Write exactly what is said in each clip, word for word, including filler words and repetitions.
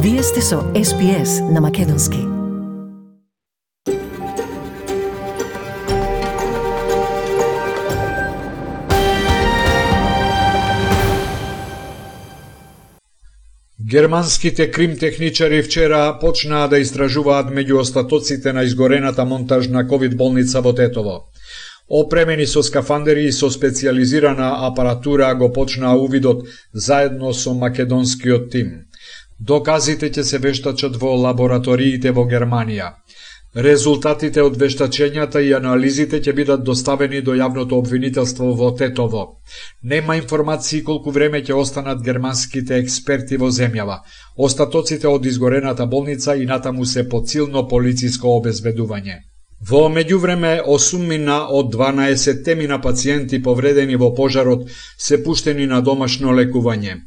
Вие сте со Ес Би Ес на Македонски. Германските кримтехничари вчера почнаа да истражуваат меѓу остатоците на изгорената монтажна ковид болница во Тетово. Опремени со скафандери и со специјализирана апаратура го почнаа увидот заедно со македонскиот тим. Доказите ќе се вештачат во лабораториите во Германија. Резултатите од вештачењата и анализите ќе бидат доставени до јавното обвинителство во Тетово. Нема информации колку време ќе останат германските експерти во земјава. Остатоците од изгорената болница и натаму се под силно полициско обезбедување. Во меѓувреме, осуммина од дванаесет мина пациенти повредени во пожарот се пуштени на домашно лекување.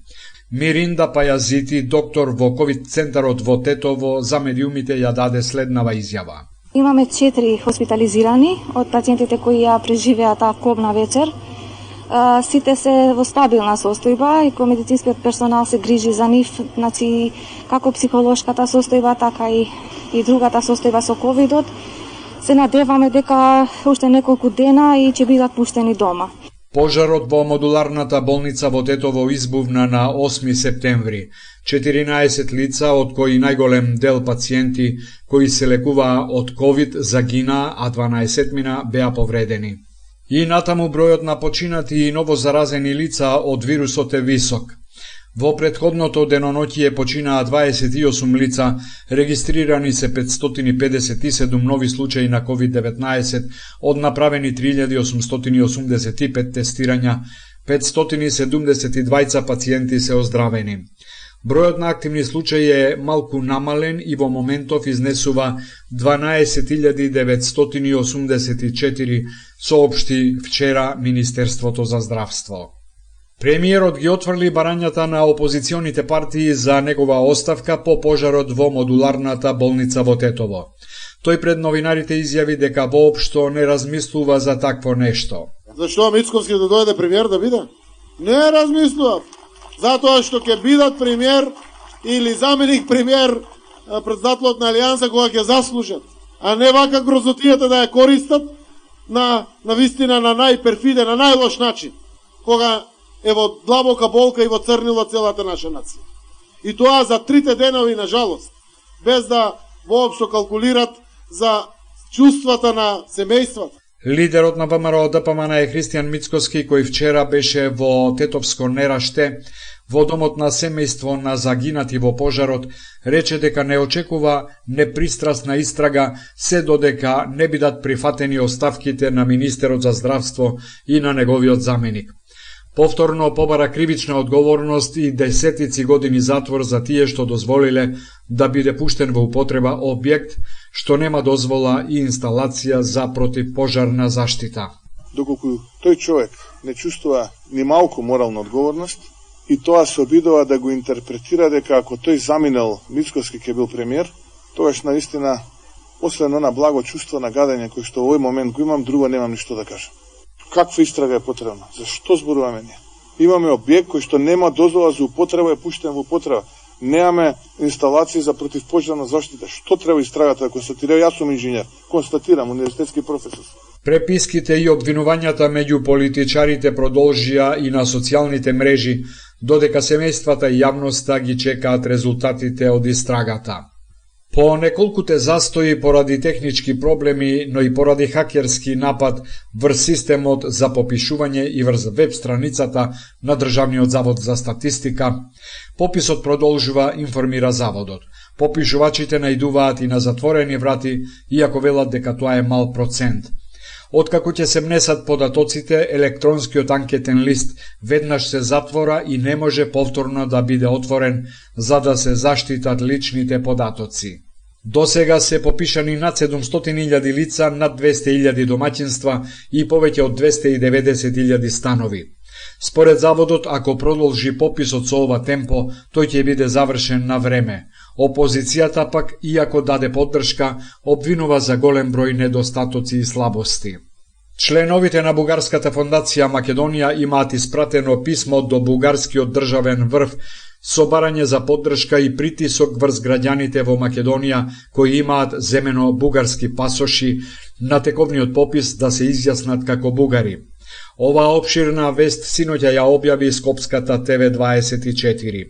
Миринда Пајазити, доктор во ковид центарот во Тетово, за медиумите ја даде следнава изјава. Имаме четири хоспитализирани од пациентите кои ја преживеа таа кобна вечер. Сите се во стабилна состојба и кој медицинскиот персонал се грижи за нив, значи како психолошката состојба, така и, и другата состојба со ковидот. Се надеваме дека уште неколку дена и ќе бидат пуштени дома. Пожарот во модуларната болница во Тетово избувна на осми септември. четиринаесет лица, од кои најголем дел пациенти кои се лекуваа од ковид, загинаа, а дванаесет мина беа повредени. И натаму бројот на починати и новозаразени лица од вирусот е висок. Во претходното деноноќие починаа дваесет и осум лица, регистрирани се петстотини педесет и седум нови случаи на ковид деветнаесет, од направени три илјади осумстотини осумдесет и пет тестирања, петстотини седумдесет и двајца пациенти се оздравени. Бројот на активни случаи е малку намален и во моментов изнесува дванаесет илјади деветстотини осумдесет и четири, соопшти вчера Министерството за здравство. Премиерот ги отфрли барањата на опозиционите партии за негова оставка по пожарот во модуларната болница во Тетово. Тој пред новинарите изјави дека воопшто не размислува за такво нешто. Зашто Мицковски да дојде премиер да биде? Не размислував. Затоа што ќе бидат премиер или заменик премиер председателот на Алијанса кога ќе заслужат, а не вака грозотијата да ја користат на на вистина на најперфиден, на најлош начин, кога е во длабока болка и во црнило целата наша нација. И тоа за трите денови, на жалост, без да воопшто калкулират за чувствата на семејствата. Лидерот на ВМРО Д П М Н е Христијан Мицкоски, кој вчера беше во Тетовско Нераште, во домот на семејство на загинати во пожарот, рече дека не очекува непристрасна истрага се додека не бидат прифатени оставките на министерот за здравство и на неговиот заменик. Повторно побара кривична одговорност и десетици години затвор за тие што дозволиле да биде пуштен во употреба објект што нема дозвола и инсталација за противпожарна заштита. Доколку тој човек не чувствува ни малку морална одговорност и тоа се обидува да го интерпретира дека ако тој заминал Мицковски ке бил премиер, тогаш наистина освен она благо чувство на гадење кој што во овој момент го имам, друго немам ништо да кажам. Каква истрага е потребна? Зашто зборуваме ние? Имаме објект кој што нема дозвола за употреба, е пуштен во употреба. Немаме инсталации за противпожарна заштита. Што треба истрагата да констатира? Јас сум инженер, констатирам, универзитетски професор. Преписките и обвинувањата меѓу политичарите продолжија и на социјалните мрежи, додека семејствата и јавноста ги чекаат резултатите од истрагата. По неколкуте застои поради технички проблеми, но и поради хакерски напад врз системот за попишување и врз веб страницата на Државниот завод за статистика, пописот продолжува, информира заводот. Попишувачите најдуваат и на затворени врати, иако велат дека тоа е мал процент. Откако ќе се внесат податоците, електронскиот анкетен лист веднаш се затвора и не може повторно да биде отворен за да се заштитат личните податоци. До сега се попишани над седумстотини илјади лица, над двесте илјади домаќинства и повеќе од двесте и деветдесет илјади станови. Според заводот, ако продолжи пописот со ова темпо, тој ќе биде завршен на време. Опозицијата пак, иако даде поддршка, обвинува за голем број недостатоци и слабости. Членовите на Бугарската фондација Македонија имаат испратено писмо до бугарскиот државен врв со барање за поддршка и притисок врз граѓаните во Македонија кои имаат земено бугарски пасоши на тековниот попис да се изјаснат како бугари. Оваа опширна вест синоќа ја објави Скопската Т В дваесет и четири.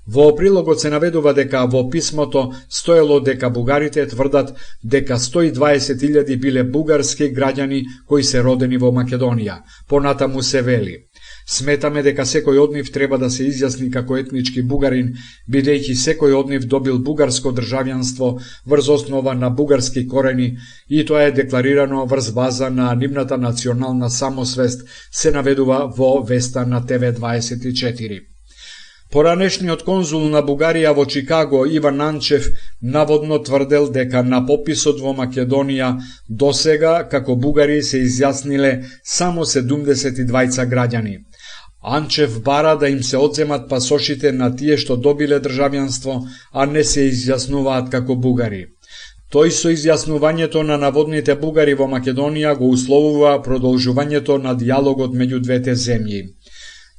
Во прилогот се наведува дека во писмото стоело дека бугарите тврдат дека сто и дваесет илјади биле бугарски граѓани кои се родени во Македонија. Понатаму се вели: сметаме дека секој од нив треба да се изјасни како етнички бугарин, бидејќи секој од нив добил бугарско државјанство врз основа на бугарски корени и тоа е декларирано врз база на нивната национална самосвест, се наведува во веста на Т В дваесет и четири. Поранешниот конзул на Бугарија во Чикаго Иван Анчев наводно тврдел дека на пописот во Македонија досега како бугари се изјасниле само седумдесет и двајца граѓани. Анчев бара да им се одземат пасошите на тие што добиле државјанство, а не се изјаснуваат како бугари. Тој со изјаснувањето на наводните бугари во Македонија го условува продолжувањето на диалогот меѓу двете земји.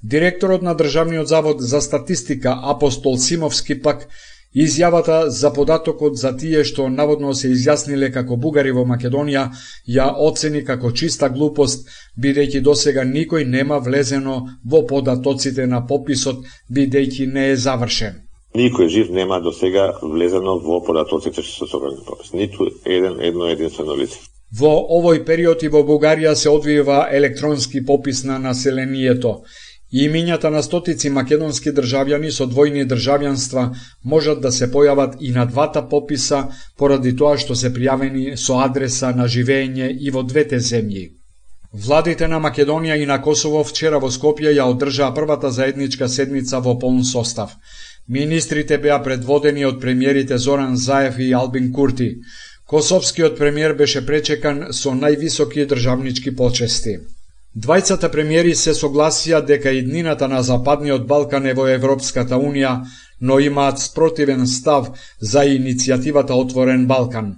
Директорот на Државниот завод за статистика Апостол Симовски пак изјавата за податокот за тие што наводно се изјасниле како бугари во Македонија ја оцени како чиста глупост, бидејќи досега никој нема влезено во податоците на пописот, бидејќи не е завршен. Никој жив нема досега влезено во податоците што се собрани попис. Ниту еден едно единствено лице. Во овој период и во Бугарија се одвива електронски попис на населението. Имињата на стотици македонски државјани со двојни државјанства можат да се појават и на двата пописа поради тоа што се пријавени со адреса на живење и во двете земји. Владите на Македонија и на Косово вчера во Скопје ја одржаа првата заедничка седница во полн состав. Министрите беа предводени од премиерите Зоран Заев и Албин Курти. Косовскиот премиер беше пречекан со највисоки државнички почести. Двајцата премиери се согласија дека иднината на Западниот Балкан е во Европската Унија, но имаат спротивен став за иницијативата Отворен Балкан.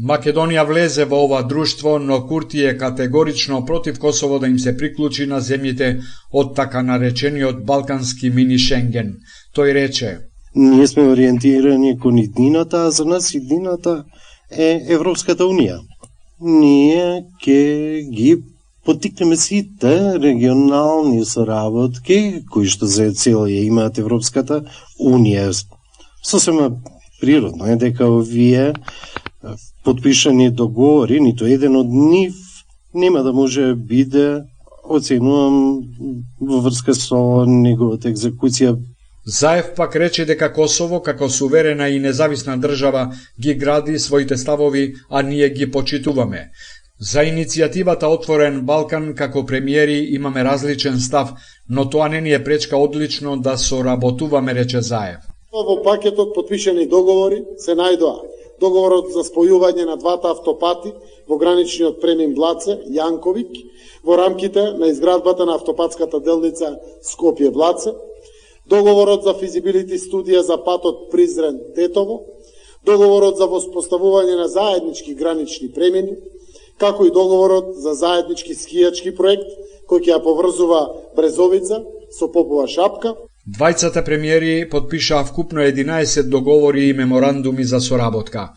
Македонија влезе во ова друштво, но Курти е категорично против Косово да им се приклучи на земјите од така наречениот Балкански мини Шенген. Тој рече: ние сме ориентирани кон иднината, а за нас иднината е Европската Унија. Ние ќе ги поттикнеме сите регионални соработки кои што за цел ја имаат Европската Унија. Сосема природно е дека овие подпишани договори, ниту еден од нив нема да може биде оценувам во врска со неговата екзекуција. Заев пак рече дека Косово, како суверена и независна држава, ги гради своите ставови, а ние ги почитуваме. За иницијативата Отворен Балкан, како премиери, имаме различен став, но тоа не ни е пречка одлично да соработуваме, рече Заев. Во пакетот подпишани договори се најдоа договорот за спојување на двата автопати во граничниот премин Блаце, Јанковик, во рамките на изградбата на автопатската делница Скопје-Блаце, договорот за физибилити студија за патот Призрен-Тетово, договорот за воспоставување на заеднички гранични премини, како и договорот за заеднички скијачки проект, кој ќе ја поврзува Брезовица со Попова Шапка. Двајцата премиери подпишаа вкупно единаесет договори и меморандуми за соработка.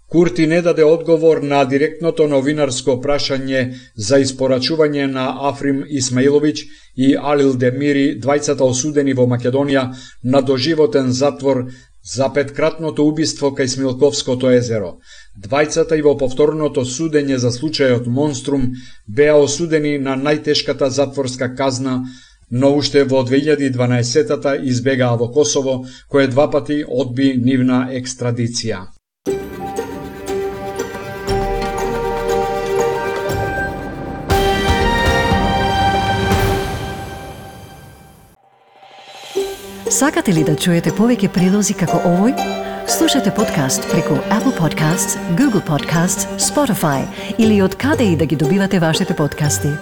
Курти не даде одговор на директното новинарско прашање за испорачување на Африм Исмаиловиќ и Алил Демири, двајцата осудени во Македонија на доживотен затвор за петкратното убиство кај Смилковското езеро. Двајцата и во повторното судење за случајот Монструм беа осудени на најтешката затворска казна, но уште во две илјади и дванаесетта избегаа во Косово, кое два пати одби нивна екстрадиција. Сакате ли да чуете повеќе прилози како овој? Слушате подкаст преку Apple Podcasts, Google Podcasts, Spotify или од каде и да ги добивате вашите подкасти.